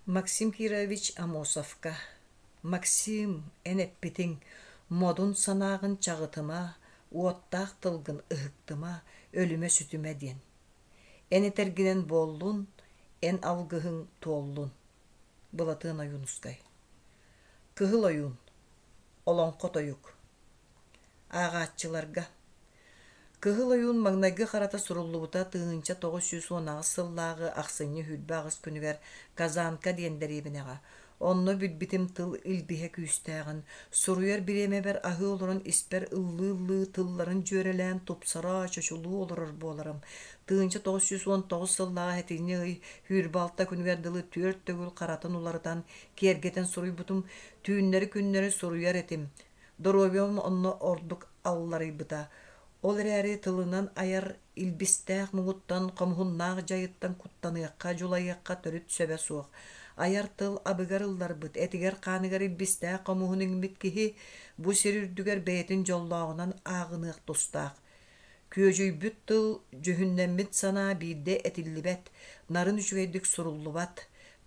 Максим Кирович Аммосовка «Максим, эн эппитиҥ, модун санааҕын чаҕытыма, уоттаах тылгын ыһыктыма, өлүмэ-сүтүмэ» диэн. Эн этэргинэн буоллун, эн алгыһыҥ туоллун. Былатыан Ойуунускай Кыһыл ойуун Олоҥхо тойук Ааҕааччыларга Кыһыл ойуун маҥнайгы харата суруллубута 1918 сыллааҕы ахсынньы 28 күнүгэр Казанка диэн дэриэбинэҕэ. Онно билбитим тыл илбиһэ күүстээҕин, суруйар бириэмэбэр аһыы олорон испэр ыллыы-ыллыы тылларын дьүөрэлээн тупсара, чочулуу олорор буоларым. 1919 сыллааҕы сэтинньи ый 26 күнүгэр дылы түөрт төгүл харатын уларытан, киэргэтэн суруйбутум, түүннэри-күннэри суруйар этим. Доруобуйам онно ордук алларыйбыта. Ол эрээри тылынан айар илбистээх муҥуттан, хомуһуннаах дьайыттан куттаныахха, дьулайыахха төрүт сөбө суох. Айар тыл абыгар ылларбыт, этигэр-хааныгар илбистээх хомуһун иҥмит киһи бу сир үрдүгэр бэйэтин дьоллооҕунан ааҕыныах тустаах. Күөдьүйбүт тыл, дьүһүннэммит санаа биирдэ этиллибэт, нарын үчүгэйдик суруллубат.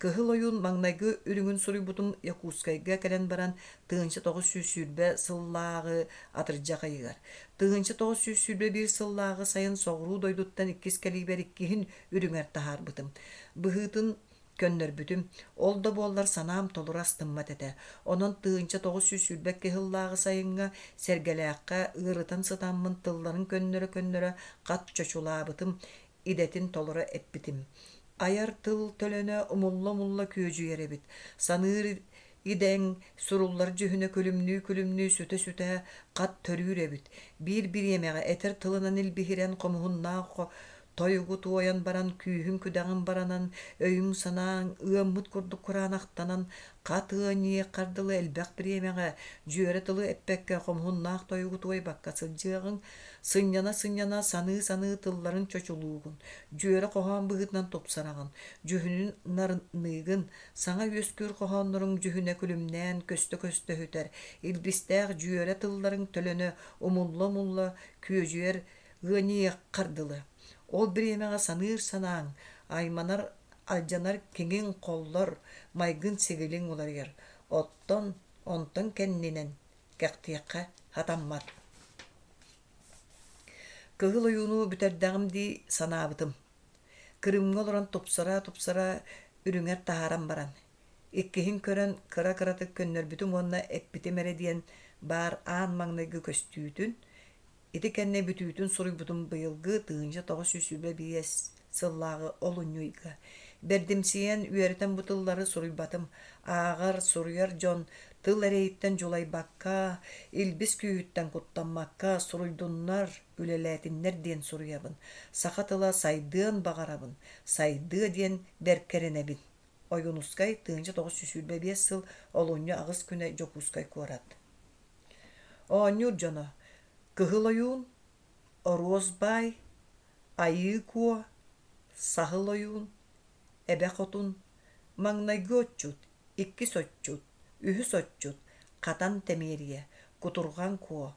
Кыһыл ойуун маҥнайгы үрүҥүн суруйбутум Якутскайга кэлэн баран 1920 сыллааҕы атырдьах ыйыгар. 1921 сыллааҕы сайын соҕуруу дойдуттан иккис кэлиибэр иккиһин үрүҥэр таһаарбытым. Быһыытын Көннөрбүтүм. Ол да буоллар санаам толору астыммат этэ. Онон 1922 сыллааҕы сайыҥҥа Сэргэлээххэ ыарытан сытаммын тылларын көннөрө-көннөрө хат чочулаабытым, идэтин толоро эппитим. Айар тыл төлөнө умулла-умулла күөдьүйэр эбит. Саныыр идэҥ суруллар дьүһүнэ күлүмнүү-күлүмнүү сүтэ-сүтэ хат төрүүр эбит. Биир бириэмэҕэ этэр тылынан илбиһирэн хомуһуннаах Тойугу туойан баран күүһүҥ-күдэҕиҥ баранан, өйүҥ-санааҥ ыаммыт курдук кураанахтанан, хат ыанньыйыаххар дылы элбэх бириэмэҕэ дьүөрэ тылы эппэккэ хомуһуннаах тойугу туойбакка сылдьыаҕыҥ, сынньана-сынньана саныы-саныы тылларын чочулуугун, дьүөрэ хоһоон быһыытынан тупсараҕын, дьүһүнүн нарыныыгын, саҥа үөскүүр хоһоонноруҥ дьүһүнэ күлүмнээн көстө-көстө сүтэр, илбистээх дьүөрэ тылларыҥ төлөнө умулла-умулла күөдьүйэр ыанньыйыаххар дылы. Ол бириэмэҕэ саныыр санааҥ, айманар, алдьанар киҥиҥ холлор, майгын-сигилиҥ уларыйар. Оттон онтон кэннинэн кэхтиэххэ сатаммат. Кыһыл ойууну бүтэрдэҕим дии санаабытым. Кырыымҥа олорон тупсара-тупсара үрүҥэр таһааран баран, иккиһин көрөн кыра-кыратык көннөрбүтүм уонна эппитим эрэ диэн баар аан маҥнайгы көстүүтүн, Ити кэннэ бүтүүтүн суруйбутум быйылгы 1925 сыллааҕы олунньу ыйга. Бэрдимсийэн, үөрэтэн бу тыллары суруйбатым. Ааҕар, суруйар дьон тыл эрэйиттэн дьулайбакка, илбис күүһүттэн куттаммакка суруйдуннар, үлэлээтиннэр диэн суруйабын. Саха тыла сайдыан баҕарабын, сайдыа диэн бэркэ эрэнэбин. Ойуунускай 1925 сыл олунньу аҕыс күнэ Дьокуускай куорат. Оонньуур дьоно: Кыһыл ойуун, Оруос баай, Айыы Куо, Саһыл ойуун, Эбэ Хотун, Маҥнайгы отчут, Иккис отчут, Үһүс отчут, Хатан Тэмиэрийэ, Кутурҕан Куо,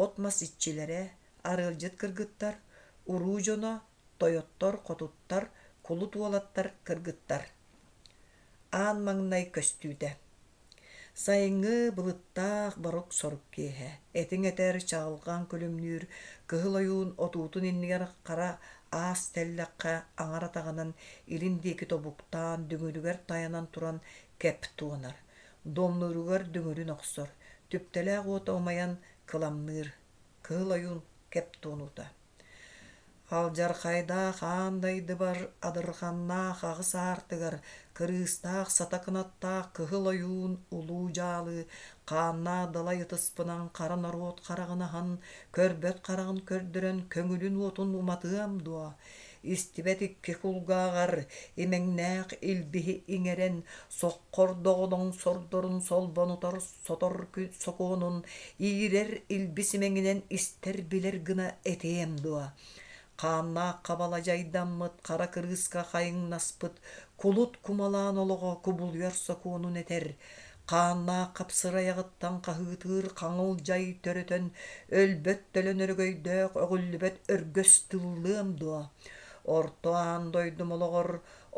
От-мас иччилэрэ, Арыалдьыт кыргыттар, Уруу дьоно, Тойоттор, хотуттар, Кулут уолаттар, кыргыттар. Аан маҥнай көстүүтэ Сайыҥҥы былыттаах борук-сорук киэһэ, этиҥ этэр, чаҕылҕан күлүмнүүр, кыһыл ойуун отуутун иннигэр хара аас тэллэххэ аҥар атаҕынан илин диэки тобуктаан, дүҥүрүгэр тайанан туран кэп туонар, дуомнууругар дүҥүрүн охсор, түптэлээх уота умайан кыламныыр, кыһыл ойуун кэп туонуута Алдьархайдаах аан дайдыбар адырханнаах аҕыс аартыгар кырыыстаах сата кынаттаах кыһыл ойуун улуу дьаалы хааннаах далай ытыспынан хара норуот хараҕын аһан, көрбөт хараҕын көрдөрөн көҥүлүн уотун уматыам дуо? Истибэт икки кулгааҕар имэҥнээх илбиһи иҥэрэн, соххор доҕолоҥ сордорун солбонутар сотор сокуонун иирэр илбис имэҥинэн истэр-билэр гына этиэм дуо? Хааннаах хабала дьайдаммыт, хара кырыыска хайыҥнаспыт, кулут кумалаан олоҕо кубулуйар сокуонун этэр, хааннаах хапсырайаҕыттан хаһыытыыр хаҥыл дьай төрөтөн, өлбөт төлөн өрөгөйдөөх өҕүллүбэт өргөс тыллыам дуо? Орто аан дойдум олоҕор.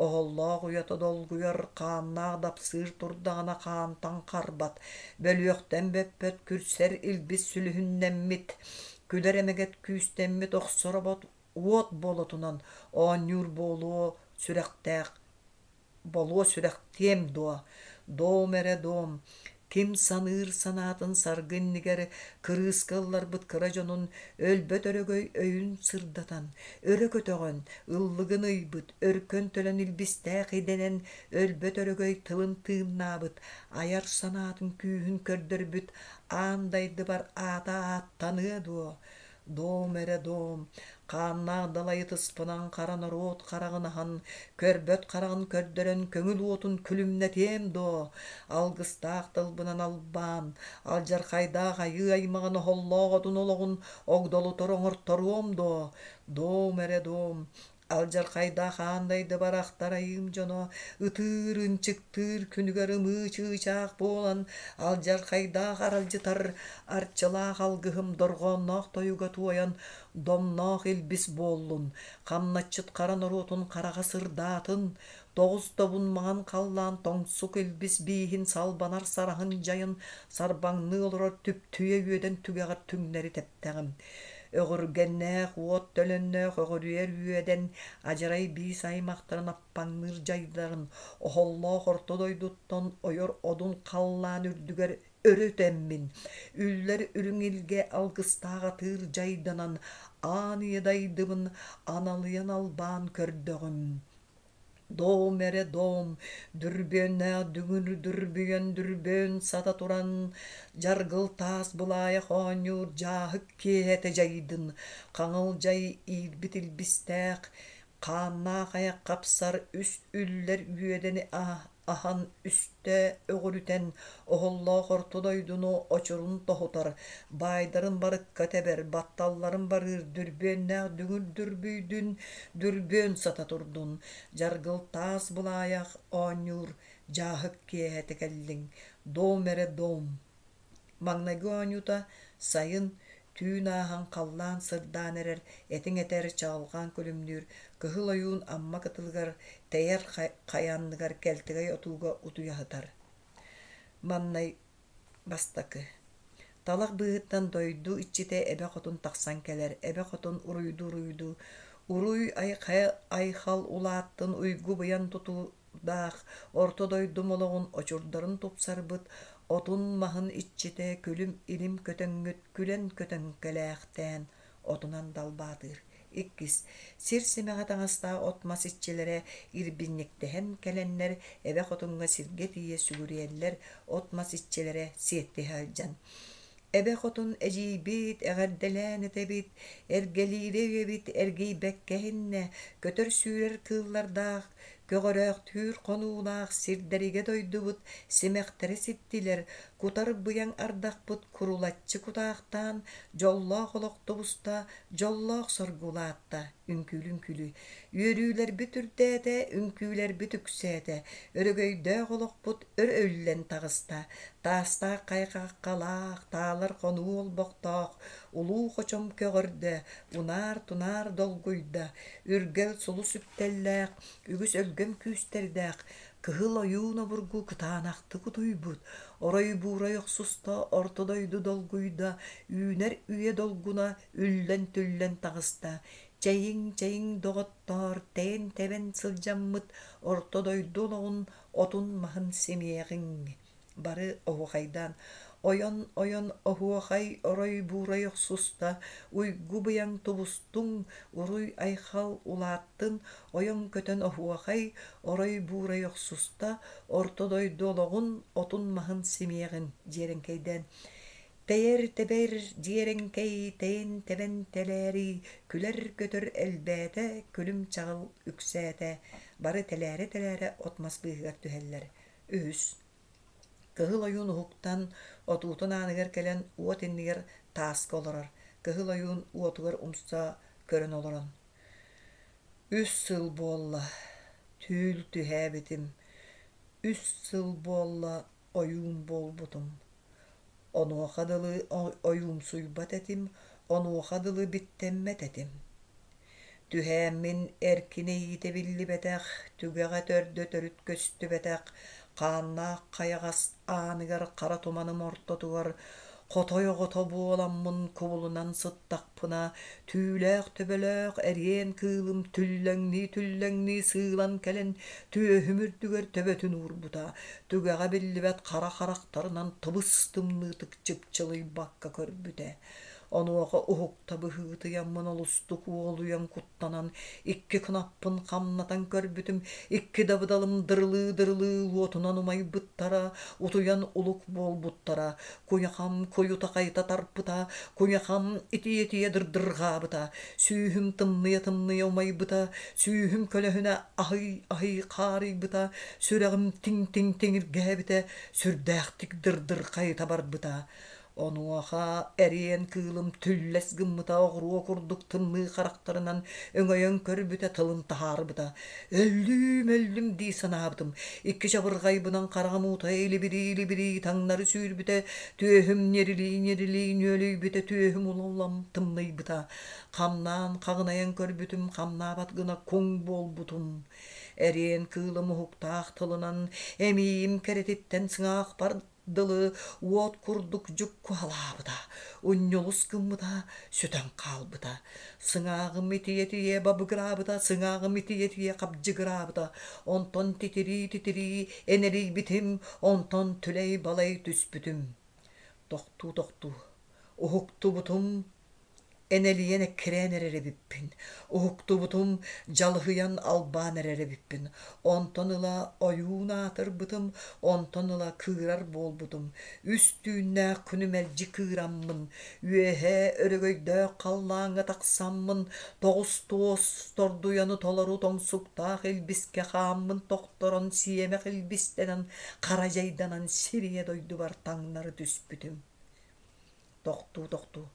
Оһоллоох уйата долгуйар, хааннаах дапсыыр турдаҕына хаантан харбат, бөлүөхтэн бөппөт күрсэр илбис сүлүһүннэммит, күлэр эмэгэт күүстэммит охсор обот уот болотунан оонньуур буолуо сүрэхтээх болуо сүрэхтиэм дуо, дом эрэ дом, ким саныыр санаатын саргы иннигэр кырыыска ылларбыт кыра дьонун өлбөт өрөгөй өйүн сырдатан, өрө көтөҕөн, ыллыгын ыйбыт, өркөн төлөн илбистээх идэнэн өлбөт өрөгөй тылын тыыннаабыт, айар санаатын күүһүн көрдөрбүт аан дайдыбар аата ааттаныа дуо? Дом эрэ дом, хааннаах далайы тыспынан хара норуот хараҕын аһан, көрбөт хараҕын көрдөрөн көҥүл уотун күлүмнэтиэм дуо? Алгыстаах тылбынан албаан, алдьархайдаах айыы аймаҕын оһоллоох отун олоҕун огдолутар оҥорторуом дуо? Дом эрэ дом, Алдьархайдаах аан дайды барахтар айыым дьоно ытыыр, ынчыктыыр күнүгэр ымыы чыычаах буолан алдьархайдаах аралдьытар арчылаах алгыһым дорҕоонноох тойуга туойан домноох илбис буоллун, хамначчыт хара норуотун хараҕа сырдаатын, тоҕус добун маҥан халлаан тоҥсук илбис бииһин салбанар сараһын дьайын сарбаҥныы олорор түптүйэ үөдэн түгэҕэр түҥнэри тэптэҕим. Өҕүргэннээх уот төлөннөөх өҕүрүйэр үөдэн адьарай биис аймахтарын аппаҥныыр дьайдарын оһоллоох орто дойдуттан ойор одун халлаан үрдүгэр өрө үтэммин, үллэр үрүҥ илгэ алгыстаах атыыр дьайданан аан ийэ дайдыбын аналыйан албаан көрдөҕүм. Дом эрэ дом, дүрбүөннээх дүҥүр дүрбүйэн дүрбүөн сата туран, дьаргыл таас былаайах оонньуур дьааһык киэһэтэ дьайдын, хаҥыл дьай иирбит илбистээх, хааннаах айах хапсар үс үллэр үөдэни аһан үстэ өҕүрүтэн, оһоллоох орто дойдуну очурун тоһутар, баайдарын барыкка тэбэр, батталларын барыыр дүрбүөннээх дүҥүр дүрбүйдүн, дүрбүөн сата турдун, дьаргыл таас былаайах оонньуур дьааһык киэһэтэ кэллиҥ, дом эрэ дом. Маҥнайгы оонньуута сайын, түүн ааһан халлаан сырдаан эрэр, этиҥ этэр, чаҕылҕан күлүмнүүр, Кыһыл Ойуун Амма кытылыгар тэйэр хайа анныгар кэлтэгэй отууга утуйа сытар. Маннай бастакы. Талах быыһыттан дойду иччитэ Эбэ Хотун тахсан кэлэр. Эбэ Хотун уруйдуу-уруйдуу «Уруй айхал улааттын уйгу-быйан тутуу даах орто дойдум олоҕун очурдарын тупсарбыт отун-маһын иччитэ күлүм-илим көтөҥҥүт күлэн көтөн кэлээхтээн отунан далбаатыыр. Иккис сир симэҕэ таҥастаах от-мас иччилэрэ ирбинньиктэһэн кэлэннэр эбэ хотуҥҥа сиргэ тиийэ сүгүрүйэллэр от-мас иччилэрэ сиэттиһэ сылдьан Эбэ хотун эдьиийбит, эҕэрдэлээн этэбит, эргэлиирэ үйэбит эргийбэккэ иһиннэ, көтөр-сүүрэр кыыллардаах, көҕөрөөхтүүр хонуулаах сирдэригэ дойдубут симэхтэрэ ситтилэр, кутар быйаҥ ардахпыт курулаччы кутаахтаан, дьоллоох олох тубуста, дьоллоох соргу улаатта, үҥкүүлү-үҥкүүлүү. Үөрүүлэрбит үрдээтэ, үҥкүүлэрбит үксээтэ, өрөгөйдөөх олохпут өр үллэн таҕыста. Таастаах хайҕаххалаах, таалар хонуу олбохтоох, улуу хочом көҕөрдө, унаар-тунаар долгуйда, үргэл сулус үктэллээх, үгүс өлгөм күүстэрдээх, кыһыл ойуун обургу кытаанахтык утуйбут, орой-буурай охсуста, орто дойду долгуйда, үүнэр үйэ долгуна үллэн-түллэн таҕыста, чэйиҥ, чэйиҥ, доҕоттоор, тэйэн-тэбэн сылдьаммыт орто дойду олоҕун отун-маһын симиэҕиҥ Бары оһуохайдаан ойон-ойон оһуохай орой-буурай охсуста, уйгу-быйаҥ тубустуҥ, уруй-айхал улааттын, ойон көтөн оһуохай орой-буурай охсуста, орто дойду олоҕун отун-маһын симиэҕин дьиэрэҥкэйдээн Тэйэр-тэбэр дьиэрэҥкэй тэйэн-тэбэн тэлээрий, күлэр-көтөр элбээтэ, күлүм-чаҕыл үксээтэ, бары тэлээрэ-тэлээрэ от-мас быыһыгар түһэллэр. Үһүс Кыһыл Ойуун уһуктан, отуутун ааныгар кэлэн уот иннигэр тааска олорор. Кыһыл Ойуун уотугар умса көрөн олорон: «Үс сыл буолла, түүл түһээбитим, үс сыл буолла ойуун буолбутум. Онуоха дылы ойуумсуйбат этим, онуоха дылы биттэммэт этим. Түһээммин эркинэ иитэ биллибэтэх, түгэҕэ төрдө төрүт көстүбэтэх, хааннаах хайаҕас ааныгар хара туманым ортотугар хотой оҕото буоламмын кубулунан сыттахпына, түүлээх төбөлөөх эриэн кыылым түллэҥнии-түллэҥнии сыылан кэлэн түөһүм үрдүгэр төбөтүн уурбута, түгэҕэ биллибэт хара харахтарынан тыбыс-тымныытык чыпчылыйбакка көрбүтэ. Онуоха уһукта быһыытыйаммын олустук уолуйан куттанан икки кынаппын хамнатан көрбүтүм, икки дабыдалым дырылыы-дырылыы уотунан умайбыттара, утуйан улук буолбуттара, куйахам куйута хайыта тарпыта, куйахам итийэ-итийэ дырдырҕаабыта, сүүһүм тымныйа-тымныйа умайбыта, сүүһүм көлөһүнэ аһый-аһый хаарыйбыта, сүрэҕим тиҥ-тиҥ тиҥиргээбитэ, сүрдээхтик дырдыр хайыта барбыта. Онуоха эриэн кыылым түллэс гыммыта оҕуруо курдук тымныы харахтарынан өҥөйөн көрбүтэ тылын таһаарбыта. Өллүүм, өллүм дии санаабытым. Икки чабырҕайбынан хараҕым уута илибирии-илибирии таҥнары сүүрбүтэ, түөһүм ньирилии-ньирилии нүөлүйбүтэ, түөһүм улам тымныйбыта. Хамнаан хаҕынайан көрбүтүм, хамнаабат гына куҥ буолбутум. Эриэн кыылым уһуктаах тылынан эмиийим кэрэтиттэн сыҥаахпар дылы уот курдук дьуккуһалаабыта, унньулус гыммыта, сүтэн хаалбыта. Сыҥааҕым итийэ-итийэ бабыгыраабыта, сыҥааҕым итийэ-итийэ хабдьыгыраабыта, онтон титирии-титирии энэлийбитим, онтон түлэй-балай түспүтүм. Тохтуу-тохтуу, уһуктубутум Энэлийэн эккирээн эрэр эбиппин, уһуктубутум, дьалыһыйан албаан эрэр эбиппин. Онтон ыла ойуун аатырбытым, онтон ыла кыырар буолбутум. Үс түүннээх күнү мэлдьи кыыраммын, үөһээ өрөгөйдөөх халлааҥҥа тахсаммын, тоҕус туос тордуйаны толору тоҥсуктаах илбискэ хааммын тохторон сиэмэх илбистэнэн хара дьайданан сирийэ дойдубар таҥнары түспүтүм. Тохтуу-тохтуу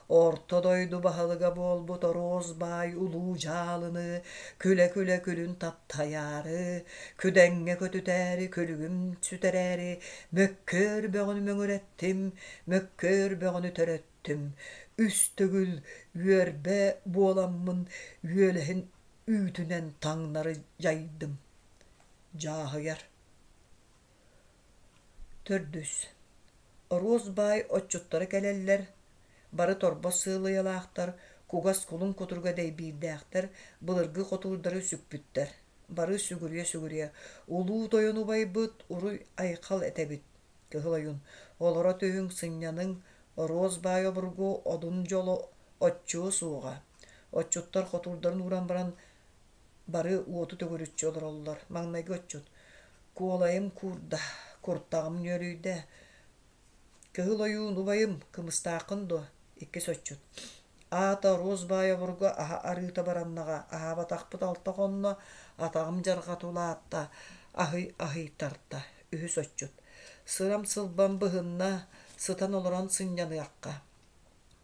Орто дойду баһылыга буолбут Оруос баай улуу дьаалыны күлэ-күлэ күлүн таптайаары, күдэҥҥэ көтүтээри күлүгүм сүтэрээри мөккүөр бөҕөнү мөҥүрэттим, мөккүөр бөҕөнү төрөттүм, үс төгүл үөрбэ буоламмын үөлэһин үүтүнэн таҥнары дьайдым. Дьааһыйар Төрдүс Оруос баай отчуттара кэлэллэр, бары торбос сыалыйалаахтар, кугас кулун кутуруга дэйбиирдээхтэр, былыргы хотуурдары сүкпүттэр. Бары сүгүрүйэ-сүгүрүйэ, «Улуу тойон убайбыт, уруй-айхал этэбит, Кыһыл Ойуун, олоро түһүҥ, сынньаныҥ, Оруос баай обургу одун дьоло оччуо суоҕа». Отчуттар хотуурдарын ууран баран бары уоту төгүрүччү олороллор. Маҥнайгы отчут Куолайым куурда, куртаҕым нүөлүйдэ. Кыһыл ойуун убайым, кымыстааххын дуо? Иккис отчут. Аата Оруос баай обургу аһа арыыта бараннаҕа, аһаабатахпыт алта хонно, атаҕым дьарҕата улаатта, аһый-аһый тарта. Үһүс отчут. Сырам-сылбам быһынна, сытан олорон сынньаныахха.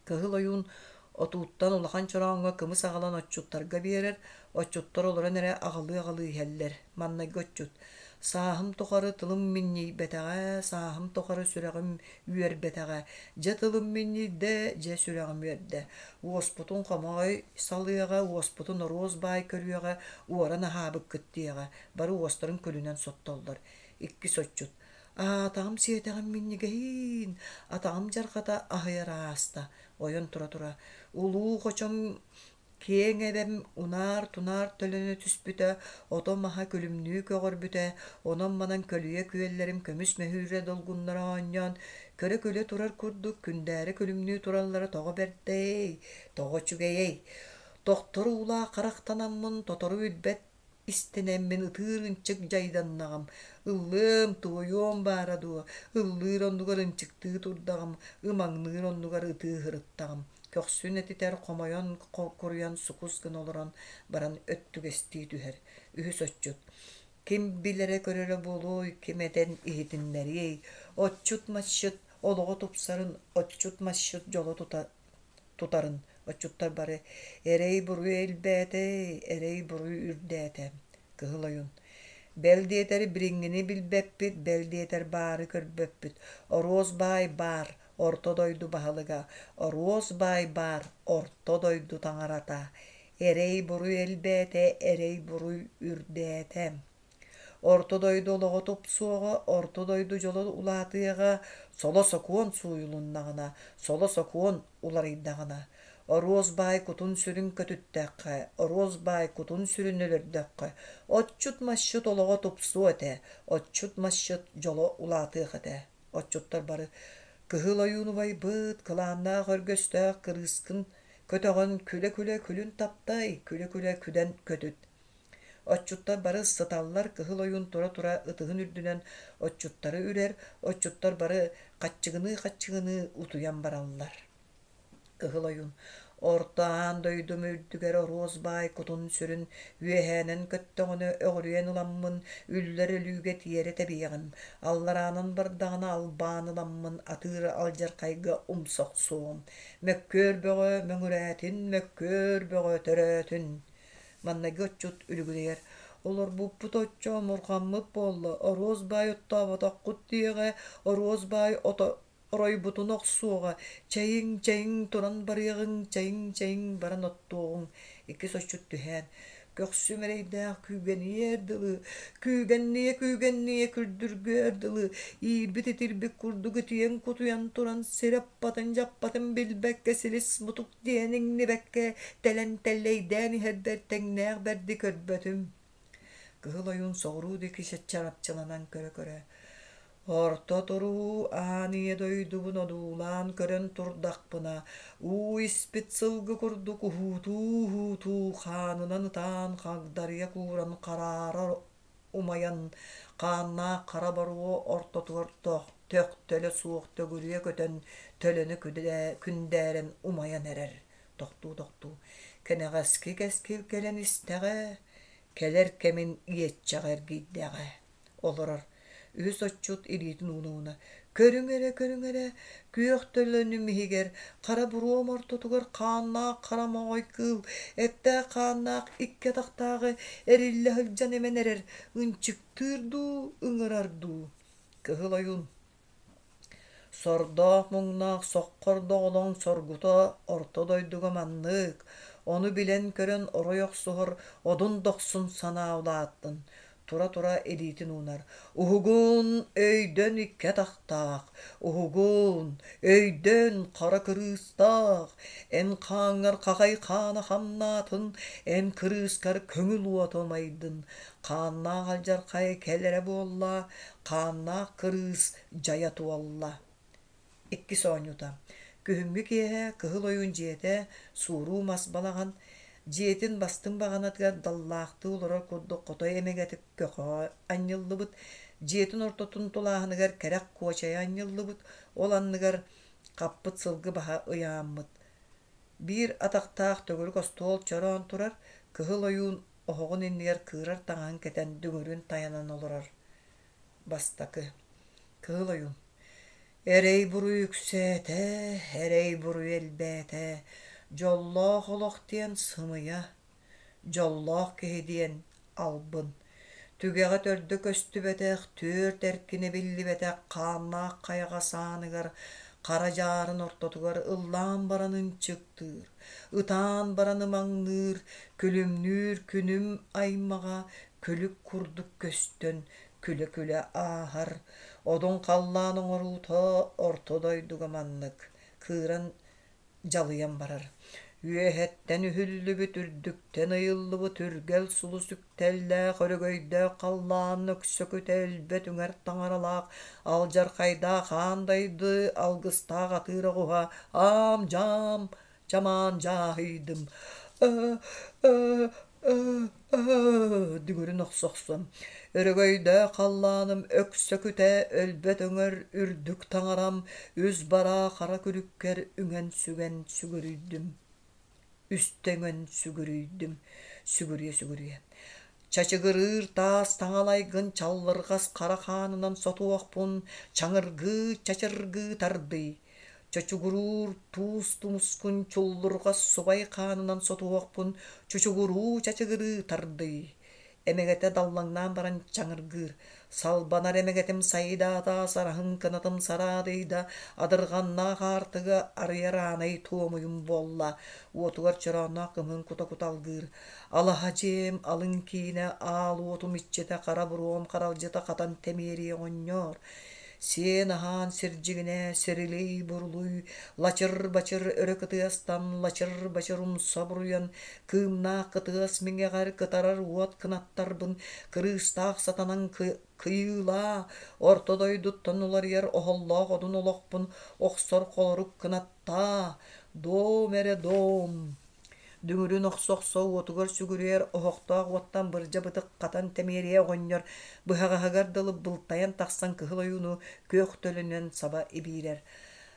Кыһыл ойуун отууттан улахан чорооҥҥо кымыс аҕалан отчуттарга биэрэр, отчуттар олорон эрэ аҕылыы-аҕылыы иһэллэр. Маннайгы отчут: «Сааһым тухары тылым минньийбэтэҕэ, сааһым тухары сүрэҕим үөрбэтэҕэ, дьэ тылым минньийдэ, дьэ сүрэҕим үөрдэ. Уоспутун хомоҕой салыаҕа, уоспутун оруос баай көрүөҕэ, уоран аһаабыккыт диэҕэ». Бары уостарын күлүнэн соттоллор. Иккис отчут: Аатаҕым сиэтэҕим минньигэһиин, атаҕым дьарҕата аһыйар ааста, ойон тура-тура, улуу хочом киэҥ эбэм унаар-тунаар төлөнө түспүтэ, ото-маһа күлүмнүү көҕөрбүтэ, онон-манан көлүйэ күөллэрим көмүс мөһүүрэ долгуннара оонньоон, көрө-күлэ турар курдук күндээрэ күлүмнүү тураллара тоҕо бэрдэй, тоҕо үчүгэйэй! Тохтор уулаах харахтанаммын тотору билбэт Истэнэммин ытыыр ынчык дьайданнаҕым, ыллыам, туойуом баара дуо, ыллыыр оннугар ынчыктыы турдаҕым, ымаҥныыр оннугар ытыы сырыттаҕым, көхсүн этитэр хомойон куруйан сукус гына олорон баран өттүгэстии түһэр. Үһүс отчут Ким билэрэ-көрөрө буолуой, ким этэн иһитиннэриэй, отчут-масчыт олоҕо тупсарын, отчут-масчыт дьоло тута тутарын отчуттар бары «Эрэй-буруй элбээтэ, эрэй-буруй үрдээтэ» Кыһыл Ойуун «Бэл диэтэр билиҥҥини билбэппит, бэл диэтэр баары көрбөппүт, Оруос баай баар, орто дойду баһылыга, Оруос баай баар, орто дойду таҥарата. Эрэй-буруй элбээтэ, эрэй-буруй үрдээтэ. Орто дойду олоҕо тупсуоҕа, орто дойду дьоло улаатыаҕа, соло сокуон сууйулуннаҕына, соло сокуон уларыйдаҕына. Оруос баай кутун-сүрүн көтүттэххэ, оруос баай кутун-сүрүн өлөрдөххө, отчут-масчыт олоҕо тупсуо этэ, отчут-масчыт дьоло улаатыах этэ. Отчуттар бары «Кыһыл ойуун убайбыт, кылааннаах өргөстөөх кырыыскын көтөҕөн күлэ-күлэ күлүн таптай, күлэ-күлэ күдэн көтүт» Отчуттар бары сыталлар, Кыһыл Ойуун тура-тура ытыһын үрдүнэн отчуттары үрэр, отчуттар бары хаччыгыныы-хаччыгыныы утуйан бараллар. Кыһыл Ойуун «Орто аан дойдум үрдүгэр оруос баай кутун-сүрүн үөһээнэн көттөҕүнэ өҕүрүйэн ыламмын үллэр өлүүгэ тиэрэ тэбиэҕим, аллараанан бардаҕына албаан ыламмын атыыр алдьархайга умса охсуоҕум, мөккүөр бөҕө мөҥүрээтин, мөккүөр бөҕө төрөөтүн» Маҥнайгы отчут үлүгүрүйэр: «Олорбуппут оччо омурҕаммыт буолла, оруос баай оттооботоххут диэҕэ, оруос баай ото оройбутун охсуоҕа, чэйиҥ, чэйиҥ туран барыаҕыҥ, чэйиҥ, чэйиҥ баран оттуоҕуҥ» Иккис отчут түһээн, көхсүм эрэйдээх күүгэниэр дылы, күүгэнниэ-күүгэнниэ күрдүргүөр дылы, иирбит-итирбит курдук итийэн-кутуйан туран сир аппатын-дьаппатын билбэккэ силис-мутук диэн иҥнибэккэ тэлэн тэллэйдээн иһэрбэр тэҥнээх бэрди көрбөтүм. Кыһыл ойуун соҕуруу диэки чарапчыланан көрө-көрө Орто туруу аан ийэ дойдубун одуулаан көрөн турдахпына, уу испит сылгы курдук уһуутуу-уһуутуу хаанынан ытаан хагдарыйа кууран хараара умайан, хааннаах хара боруо ортотугар төхтөлө суох төгүрүйэ көтөн төлөнө күндээрэн умайан эрэр. Тохтуу-тохтуу, кэнэҕэски кэскил кэлэн истэҕэ, кэлэр кэмин иэччэҕэ эргийдэҕэ олорор. Үһүс отчут илиитин ууна-ууна «Көрүҥ эрэ, көрүҥ эрэ, күөх төлөнүм иһигэр, хара буруом ортотугар хааннаах хара моҕой кыыл, эттээх хааннаах икки атахтааҕы эриллэ сылдьан эмэн эрэр, ынчыктыыр дуу, ыҥырар дуу?» Кыһыл ойуун Сордоох-муҥнаах соххор доҕолоҥ соргута орто дойдуга маннык, ону билэн-көрөн орой охсуһар одун дохсун санаа улааттын, тура-тура илиитин уунар: «Уһугун, өйдөн икки атахтаах, уһугун, өйдөн хара кырыыстаах, эн хааҥҥар хахай хаана хамнаатын, эн кырыыскар көҥүл уота умайдын, хааннаах алдьархай кэлэрэ буолла, хааннаах кырыыс дьайа туолла. Иккис оонньуута. Күһүҥҥү киэһэ Кыһыл Ойуун дьиэтэ, сууруу мас балаҕан, дьиэтин бастыҥ баҕанатыгар даллаахтыы олорор курдук хотой эмэгэтик көхөҕө анньыллыбыт, дьиэтин ортотун тулааһыныгар кэрэх куочайа анньыллыбыт, ол анныгар хаппыт сылгы баһа ыйааммыт. Биир атахтаах төгүрүк остуол чороон турар, Кыһыл Ойуун оһоҕун иннигэр кыырар таҥаһын кэтэн дүҥүрүн тайанан олорор. Бастакы Кыһыл Ойуун Эрэй-буруй үксээтэ, эрэй-буруй элбээтэ, дьоллоох олох диэн сымыйа, дьоллоох киһи диэн албын. Түгэҕэ төрдө көстүбэтэх, түөрт эркинэ биллибэтэх хааннаах хайаҕас ааныгар хара дьаарын ортотугар ыллаан баран ынчыктыыр, ытаан баран ымаҥныыр, күлүмнүүр күнүм аймаҕа күлүк курдук көстөн күлэ-күлэ ааһар, одун халлаан оҥоруута орто дойдуга маннык кыыран дьалыйан барар. Үөһэттэн үһүллүбүт, үрдүктэн ыйыллыбыт үргэл сулус үктэллээх, өрөгөйдөөх халлаан өксөкүтэ өлбөт үҥэр таҥаралаах, алдьархайдаах аан дайды алгыстаах атыыр оҕуһа аам-дьаам чамаан дьааһыйдым дүҥүрүн охсо-охсон өрөгөйдөөх халлааным өксөкүтэ өлбөт өҥөр үрдүк таҥарам үс бараа хара күлүккэр үҥэн-сүгэн сүгүрүйдүм үстэ үҥэн сүгүрүйдүм сүгүрүйэ-сүгүрүйэ Чачыгырыыр таас таҥалайгын чаллырҕас хара хаанынан сотуохпун чаҥыргыы чачыргыы тардый Чочугуруур туус тумускун чуллурҕас субай хаанынан сотуохпун чучугуруу чачыгырыы тардый. Эмэгэтэ даллаҥнаан баран чаҥыргыыр. Салбанар эмэгэтим сайдаата, сараһын кынатым сараадыйда, адырҕаннаах аартыгы арыйар аанай туомуйум буолла. Уотугар чороонноох кымыһын кута-кута алгыыр. Алаһа дьиэм алын киинэ, аал уотум иччитэ, хара буруом харалдьыта хатан тэмиэрийэ оҕонньоор. Сиэн-аһаан сирдьигинэ, сирилий-бурулуй, лачыр-бачыр өрө кытыастан, лачыр-бачыр умса буруйан, кыымнаах кытыас миҥэҕэр кытарар уот кынаттарбын кырыыстаах сатанан кыйыылаа, орто дойдуттан уларыйар оһоллоох одун олохпун охсор холорук кынаттаа, дом эрэ дом! Дүҥүрүн охсо-охсо уотугар сүгүрүйэр оһохтоох уоттан бырдьа бытык хатан тэмиэрийэ оҕонньор быһаҕаһыгар дылы былтайан тахсан кыһыл ойууну күөх төлөнүнэн саба ибиирэр.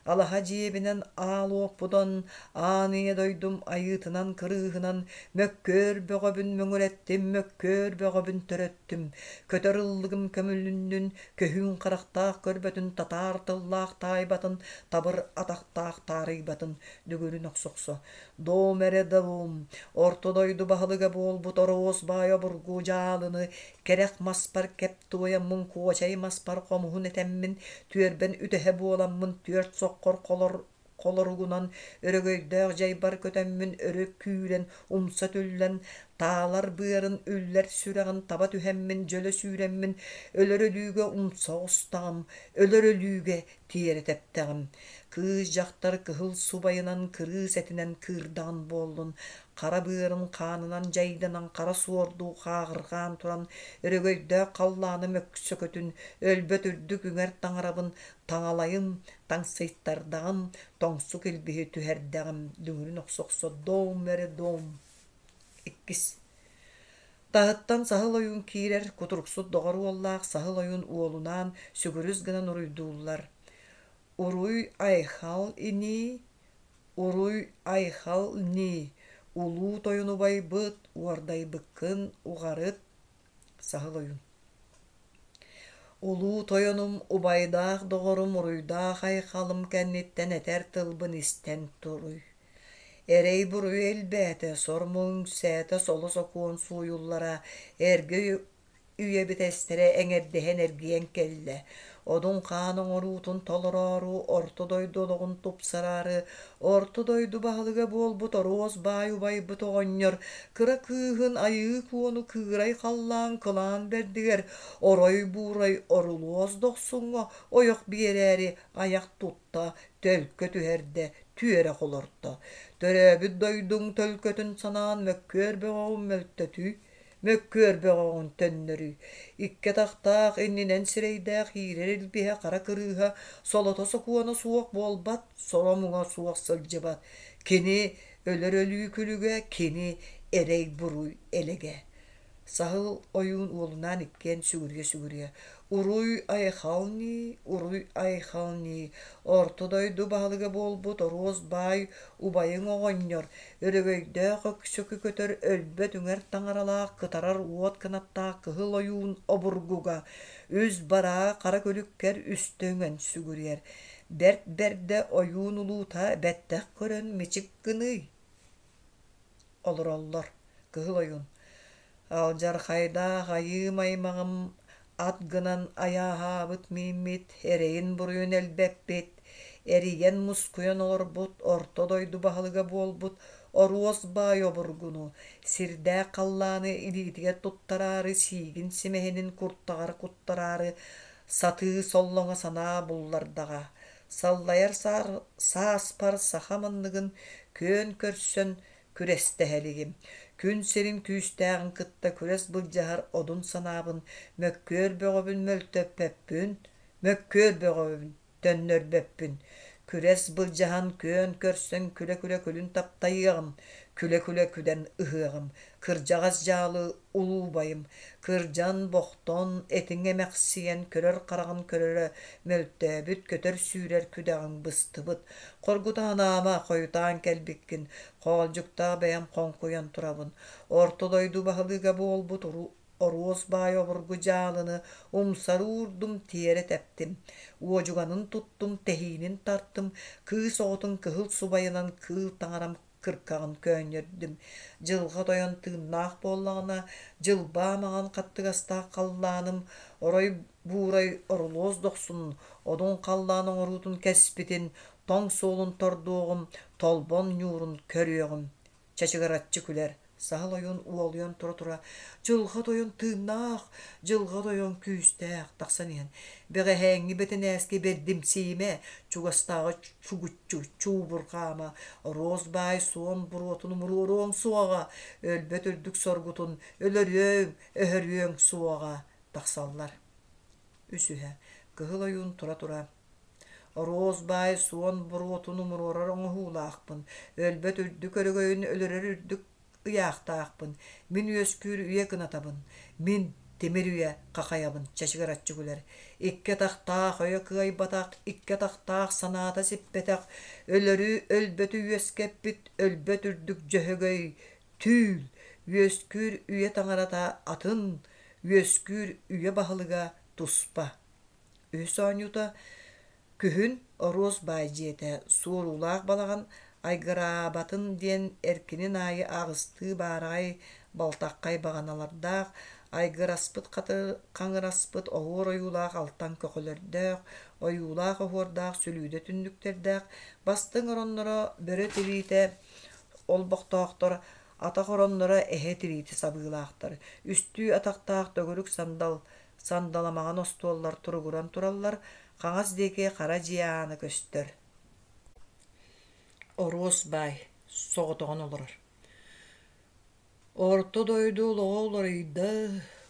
Алаһа дьиэбинэн аал уоппутан, аан ийэ дойдум айыытынан кырыыһынан мөккүөр бөҕөбүн мөҥүрэттим, мөккүөр бөҕөбүн төрөттүм. Көтөр ыллыгым көмүлүннүн, көһүүн харахтаах көрбөтүн, татаар тыллаах таайбатын, табыр атахтаах таарыйбатын, дүгүрүн охсохсо. Дом эрэ дом, орто дойду баһылыга буолбут Ороос баай обургу дьаалыны кэрэх маспар кэп туойаммын куочай маспар хомуһун этэммин түөрбэн үтэһэ буоламмын түөрт соххор холор холоругунан өрөгөйдөөх дьайбар көтөммүн өрө күүрэн умса түллэн таалар быарын үллэр сүрэҕин таба түһэммин дьөлө сүүрэммин өлөр өлүүгэ умса оҕустаҕым өлөр өлүүгэ тиэрэ тэптэҕим. Кыыс-дьахтар кыһыл субайынан кырыыс этинэн кыырдаҕын буоллун, хара быарын хаанынан дьайданан хара суордуу хааҕырҕаан туран өрөгөйдөөх халлааны мөксөкөтүн, өлбөт үрдүк үҥэр таҥарабын таҥалайым, таҥсыйтардаҕым, тоҥсук илбиһи түһэрдэҕим, дүҥүрүн охсо-охсо дом эрэ дом. Иккис Таһыттан саһыл ойуун киирэр, кутуруксут доҕор уоллаах саһыл ойуун уолунаан сүгүрүс гынан уруйдууллар: «Уруй-айхал инии, уруй-айхал нии, улуу тойон убайбыт, уордайбыккын уҕарыт» Саһыл ойуун Улуу тойонум, убайдаах доҕорум уруйдаах айхалым кэнниттэн этэр тылбын истэн туруй. Эрэй-буруй элбээтэ, сор-муҥ үксээтэ, соло-сокуон сууйуллара, эргэ үйэбит эстэрэ эҥэрдэһэн эргийэн кэллэ. Одун хаан оҥоруутун толороору, орто дойду олоҕун тупсараары, орто дойду баһылыга буолбут Оруос баай убайбыт оҕонньор кыра кыыһын Айыы Куону кыырай халлаан кылаан бэрдигэр орой-буурай орулуос дохсуҥҥа ойох биэрээри айах тутта, төлкө түһэрдэ, түөрэ холорто. Төрөөбүт дойдуҥ төлкөтүн санаан мөккүөр бөҕөҕүн мөлтөтүй, мөккүөр бөҕөҕүн төннөрүй. Икки атахтаах, иннинэн сирэйдээх иирэр илбиһэ хара кырыыһа солото-сокуона суох буолбат, соро-муҥа суох сылдьыбат. Кини өлөр өлүү күлүгэ, кини эрэй-буруй элэгэ. Саһыл ойуун уолунаан иккиэн сүгүрүйэ-сүгүрүйэ «Уруй-айхал нии, уруй-айхал нии, орто дойду баһылыга буолбут Оруос баай убайыҥ оҕонньор, өрөгөйдөөх өксөкү көтөр өлбөт үҥэр таҥаралаах кытарар уот кынаттаах кыһыл ойуун обургуга үс бараа хара күлүккэр үстэ үҥэн сүгүрүйэр. Бэрт бэрдэ ойуун улуута бэттэх көрөн мичик гыныый» Олороллор. Кыһыл ойуун Алдьархайдаах айыым аймаҕым ат гынан айааһаабыт мииммит, эрэйин-буруйун элбэппит, эрийэн-мускуйан олорбут орто дойду баһылыга буолбут Оруос баай обургуну, сирдээх халлааны илиитигэр туттараары сиигин симэһинин куртаҕар куттараары сатыы соллоҥо санаа буллардаҕа. Саллайар сааспар саха манныгын күөн көрсөн күрэстэһэ илигим. Күн сирин күүстээҕин кытта күрэс былдьаһар одун санаабын мөккүөр бөҕөбүн мөлтөппөппүн, мөккүөр бөҕөбүн төннөрбөппүн. Күрэс былдьаһан күөн көрсөн күлэ-күлэ күлүн таптайыаҕым, күлэ-күлэ күдэн ыһыаҕым. Кырдьаҕас дьаалы улуу убайым, кырдьан-бохтон, этиҥ эмэхсийэн көрөр хараҕын көрөрө мөлтөөбүт, көтөр-сүүрэр күдэҕиҥ быстыбыт. Хоргутаан аама, хойутаан кэлбиккин, хоолдьуктаах бэйэм хоҥкуйан турабын. Орто дойду баһылыга буолбут Оруос баай обургу дьаалыны умсары уурдум, тиэрэ тэптим. Уодьуганын туттум, тэһиинин тартым, кыыс оҕотун кыһыл субайынан кыыл таҥарам. кыркаҕын көөнньөрдүм. Дьылҕа тойон тыыннаах буоллаҕына, дьылбаа маҥан хаттыгастаах халлааным орой буурай орулуос дохсун, одун халлаан оҥоруутун кэспитин, тоҥ суолун тордуоҕум, толбон ньуурун көрүөҕүм. Чачыгыраччы күлэр. Саһыл ойуун уолуйан тура-тура «Дьылҕа тойон тыыннаах, дьылҕа тойон күүстээх» тахсан иһэн, «Бэҕэһээҥҥи бэтинээскэ бэрдимсийимэ, чугастааҕы чугуччу чуубурҕаама, оруос баай суон буруотун умуруоруоҥ суоҕа, өлбөт үрдүк соргутун өлөрүөҥ, өһөрүөҥ суоҕа» тахсаллар. Үсүһэ, Кыһыл ойуун тура-тура Оруос баай суон буруотун умуруорар оҥоһуулаахпын, өлбөт үрдүк өрөгөйүн өлөрөр үрдүк ыйаахтаахпын, мин үөскүүр үйэ кынатабын, мин тимир үйэ хахайабын чачыгыраччы күлэр. Икки атахтаах өйө кыайбатах, икки атахтаах санаата сиппэтэх, өлөрү өлбөтү үөскэппит өлбөт үрдүк дьөһөгөй түүл, үөскүүр үйэ таҥарата атын, үөскүүр үйэ баһылыга туспа. Үһүс оонньуута күһүн Оруос баай дьиэтэ, суоруулаах балаҕан айгыраабатын диэн эркинин аайы аҕыстыы баараҕай балтаххай баҕаналардаах, айгыраспыт хаҥыраспыт оһуор ойуулаах алтан көхөлөрдөөх, ойуулаах оһуордаах сүлүүдэ түннүктэрдээх, бастыҥ оронноро бөрө тириитэ олбохтоохтор, атах оронноро эһэ тириитэ сабыылаахтар, үстүү атахтаах төгүрүк сандал Сандаламаҕан остуоллар туругуран тураллар, хаҥас диэки хара дьиэ аана көстөр. Оруос баай соҕотоҕун олорор. Орто дойду олоҕо уларыйда,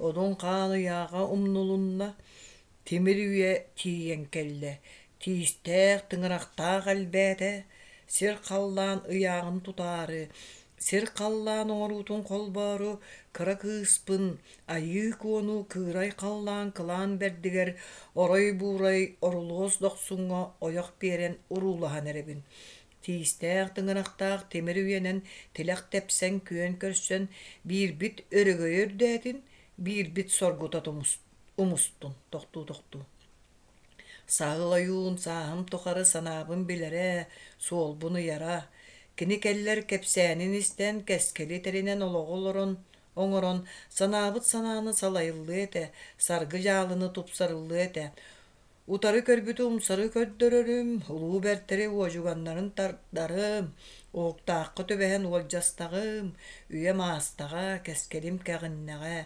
одун хаан ыйааҕа умнулунна, тимир үйэ тиийэн кэллэ, тиистээх, тыҥырахтаах элбээтэ, сир-халлаан ыйааҕын тутаары, сир-халлаан оҥоруутун холбоору кыра кыыспын Айыы Куону кыырай халлаан кылаан бэрдигэр орой-буурай орулуос дохсуҥҥа ойох биэрэн уруулаһан эрэбин. Тиистээх тыҥырахтаах тимир үйэнэн тилэх тэпсэн күөн көрсөн биирбит өрөгөйө үрдээтин, биирбит соргута умустун тохтуу-тохтуу. Саһыл ойуун сааһым тухары санаабын билэрэ, суолбун ыйара. Кини кэллэр кэпсээнин истэн, кэскили тэринэн олоҕу олорон, оҥорон, санаабыт санааны салайыллыа этэ, саргы дьаалыны тупсарыллыа этэ. Утары көрбүтү умсары көрдөрөрүм, улуу бэртэри уодьуганнарын тардарым, уһуктаахха түбэһэн уолдьастаҕым, үйэм аастаҕа, кэскилим кэҕиннэҕэ,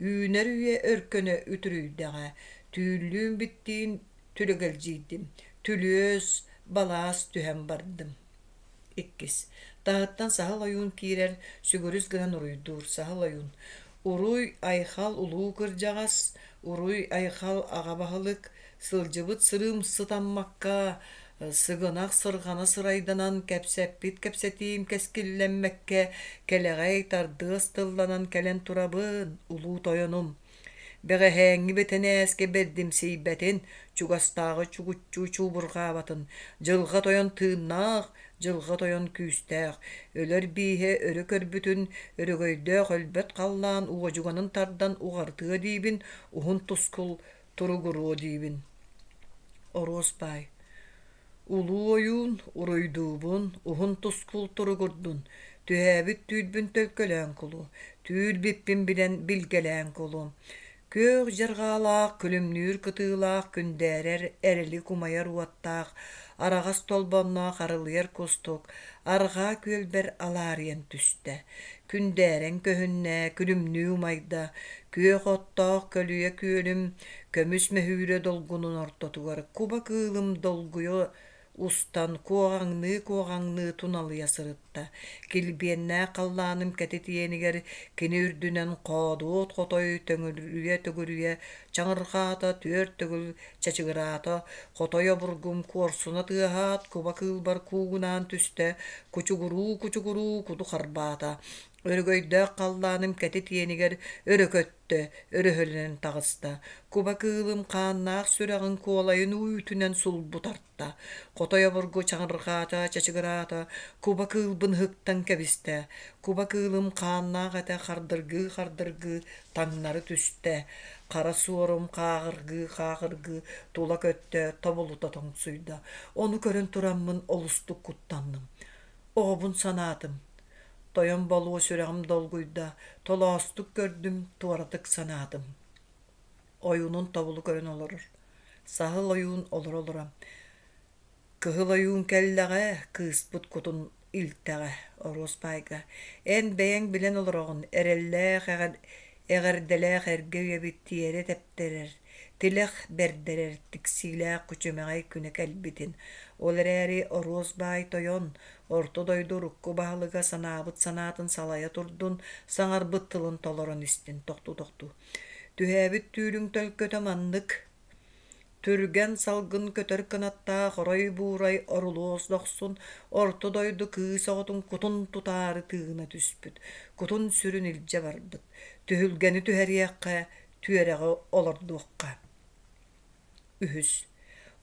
үүнэр үйэ өркөнө үтүрүйдэҕэ, Түүллүүн биттиин түлэгэлдьийдим, түлүөс, балаас түһэн бардым. Иккис. Таһыттан саһыл ойуун киирэр, сүгүрүс гынан уруйдуур саһыл ойуун. Уруй, айхал улуу кырдьаҕас, уруй, айхал аҕа баһылык, сылдьыбыт сырыым сытаммакка, сыгынах сырҕана сырайданан кэпсэппит кэпсэтиим кэскиллэммэккэ, кэлэҕэй тардыас тылланан кэлэн турабын, улуу тойонум. Бэҕэһээҥҥи бэтинээскэ бэрдимсийбэтин, чугастааҕы чугуччу чуубурҕаабатын, дьылҕа тойон тыыннаах, дьылҕа тойон күүстээх, өлөр бииһэ өрө көрбүтүн, өрөгөйдөөх өлбөт халлаан уодьуганын тардан уҕарытыа диибин, уһун тускул туругуруо диибин. Оруос баай Улуу ойуун, уруйдуубун, уһун тускул туругурдун, түһээбит түүрбүн төлкөлөөн кулу, түүр-биппин билэн билгэлээн кулу. Күөх дьарҕаалаах, күлүмнүүр кытыылаах, күндээрэр, эрэлик умайар уоттаах, араҕас толбонноох арылыйар кустук арҕаа күөлбэр алаарыйан түстэ. Күндээрэн көһүннэ, күлүмнүү умайда, күөх оттоох көлүйэ күөлүм Көмүс мөһүүрэ долгунун ортотугар куба кыылым долгуйа устан куоҕаҥныы-куоҕаҥныы туналыйа сырытта. Килбиэннээх халлааным кэтит иэнигэр кини үрдүнэн хоодуот хотой төҥүрүйэ-төгүрүйэ чаҥырҕаата, түөрт төгүл чачыгыраата, хотой обургум куорсуна тыаһаат куба кыылбар куугунаан түстэ, кучугуруу-кучугуруу куду харбаата. Өрөгөйдөөх халлааным кэтит иэнигэр өрө көттө, өрөһөлөнөн таҕыста. Куба кыылым хааннаах сүрэҕин куолайын үүтүнэн сулбу тарта. Хотой обургу чаҥырҕаата, чачыгыраата, куба кыылбын ыһыктан кэбистэ. Куба кыылым хааннаах этэ хардыргыы-хардыргыы таҥнары түстэ. Хара суорум хааҕыргыы-хааҕыргыы тула көттө, тобулута тоҥсуйда. Ону көрөн тураммын олустук куттанным. Оҕобун санаатым. Тойон болуо сүрэҕим долгуйда, толоостук көрдүм, туоратык санаатым. Ойуунун тобулу көрөн олорор. Саһыл ойуун олоро-олоро Кыһыл ойуун кэллэҕэ, кыыспыт кутун илтэҕэ, Оруос баайга «Эн бэйэҥ билэн олороҕун, эрэллээх эҕэрдэлээх эргэ үйэбит тиэрэ тэптэрэр, тилэх бэрдэрэр тиксиилээх күчүмэҕэй күнэ кэлбитин. Ол эрээри Оруос баай тойон, орто дойду урукку баһылыга санаабыт санаатын салайа турдун, саҥарбыт тылын толорон истин тохтуу-тохтуу. Түһээбит түүлүҥ төлкөтө маннык Түргэн салгын көтөр кынаттаах орой-буурай орулуос дохсун орто дойду кыыс оҕотун кутун тутаары тыына түспүт, кутун-сүрүн илдьэ барбыт. Түһүлгэни түһэриэххэ, түөрэҕи олордуохха. Үһүс.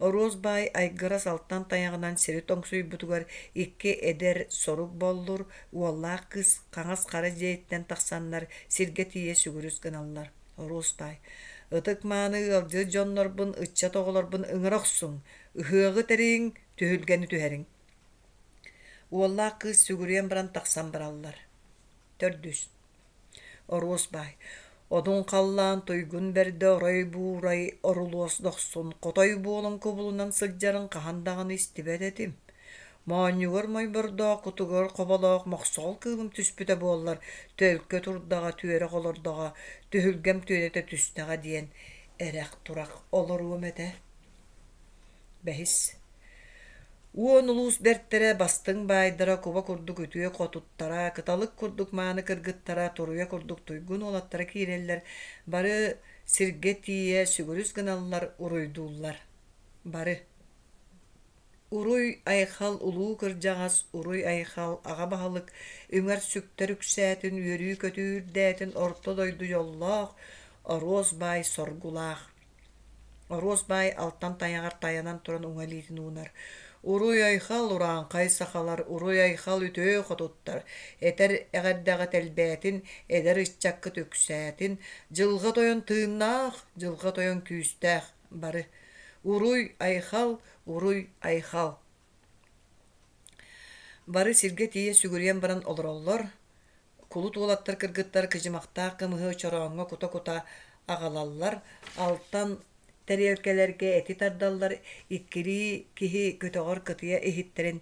Оруос баай айгырас алтан тайаҕынан сири тоҥсуйбутугар икки эдэр сорук боллур уоллаах кыыс хаҥас хара дьиэттэн тахсаннар сиргэ тиийэ сүгүрүс гыналлар. Оруос баай Ытык-мааны ыалдьыт дьоннорбун, ыччат оҕолорбун ыҥыра охсуҥ, ыһыаҕы тэрийиҥ, түһүлгэни түһэриҥ. Уоллаах кыыс сүгүрүйэн баран тахсан бараллар. Төрдүс. Оруос баай Одун халлаан туйгун бэрдэ орой-буурай орулуос дохсун хотой буолан кубулунан сылдьарын хаһан даҕаны истибэт этим. Моонньугар мойбордоох, кутугар хоболоох мохсоҕол кыылым түспүтэ буоллар, төлкө турдаҕа, түөрэх олордоҕо, түһүлгэм түөнэтэ түстэҕэ диэн эрэх-турах олоруом этэ. Бэһис. Уон улуус бэртэрэ, бастыҥ баайдара, куба курдук үтүө хотуттара, кыталык курдук мааны кыргыттара, туруйа курдук туйгун уолаттара киирэллэр, бары сиргэ тиийэ сүгүрүс гыналлар, уруйдууллар. Бары Уруй-айхал улуу кырдьаҕас, уруй-айхал аҕа баһылык, үҥэр-сүктэр үксээтин, үөрүү-көтүү үрдээтин орто дойду дьоллоох, оруос баай соргулаах. Оруос баай алтан тайаҕар тайанан туран уҥа илиитин уунар: «Уруй-айхал, урааҥхай сахалар, уруй-айхал үтүө хотуттар, этэр эҕэрдэҕит элбээтин, эдэр ыччаккыт үксээтин, дьылҕа тойон тыыннаах, дьылҕа тойон күүстээх, бары Уруй-айхал, уруй-айхал!» Бары сиргэ тиийэ сүгүрүйэн баран олороллор, кулут уолаттар кыргыттар кыдьымахтаах кымыһы чорооҥҥо кута-кута аҕалаллар, алтан тэриэлкэлэргэ эти тардаллар, иккилии киһи көтөҕөр кытыйа иһиттэрин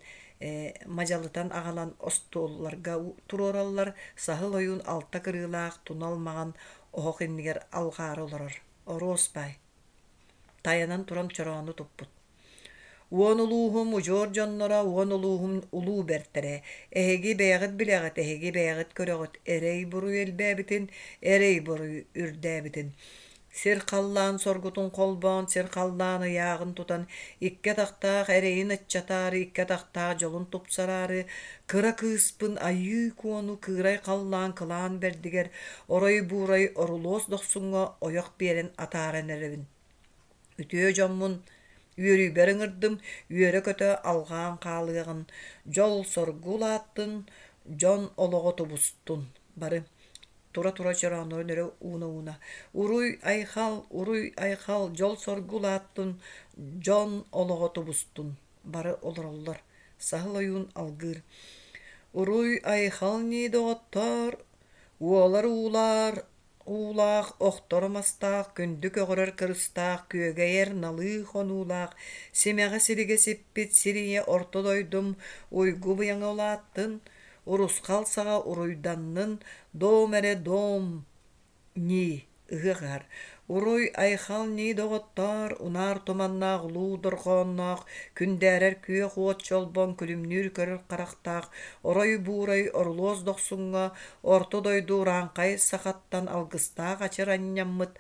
мадьалытан аҕалан остуолларга туруораллар, саһыл ойуун алта кырыылаах тунал маҥан оһох иннигэр алҕаары олорор. Оруос баай Тайанан туран чороону туппут. Уон улууһум удьуор дьонноро, уон улууһум улуу бэртэрэ, эһиги бэйэҕит билэҕит, эһиги бэйэҕит көрөҕүт, эрэй-буруй элбээбитин, эрэй-буруй үрдээбитин. Сир-халлаан соргутун холбоон, сир-халлаан ыйааҕын тутан, икки атахтаах эрэйин аччатаары, икки атахтаах дьолун тупсараары, кыра кыыспын Айыы Куону кыырай халлаан кылаан бэрдигэр орой-буурай орулуос дохсуҥҥа ойох биэрэн атааран эрэбин. Үтүө дьоммун үөрүүбэр ыҥырдым, үөрэ-көтө алҕаан хаалыаҕын, дьол-соргу улааттын, дьон олоҕо тубустун. Бары тура-тура чорооннорун өрө ууна-ууна «Уруй-айхал, уруй-айхал, дьол-соргу улааттын, дьон олоҕо тубустун» бары олороллор. Саһыл ойуун алгыыр: «Уруй-айхал ньии доҕоттоор, уолар уулаар уулаах, охторо мастаах, күндү көҕөрөр кырыстаах, күөгэйэр налыы хонуулаах, симэҕэ силигэ сиппит сир ийэ орто дойдум уйгу быйаҥа улааттын, урусхал саҕа уруйданнын, дом эрэ дом ньии ыһыах ыһар. Уруй-айхал ньии доҕоттоор, унаар туманнаах улуу дорҕоонноох, күндээрэр күөх уот чолбон күлүмнүүр көрөр харахтаах, орой-буурай орулуос дохсуҥҥа орто дойду урааҥхай сахаттан алгыстаах ачыр анньаммыт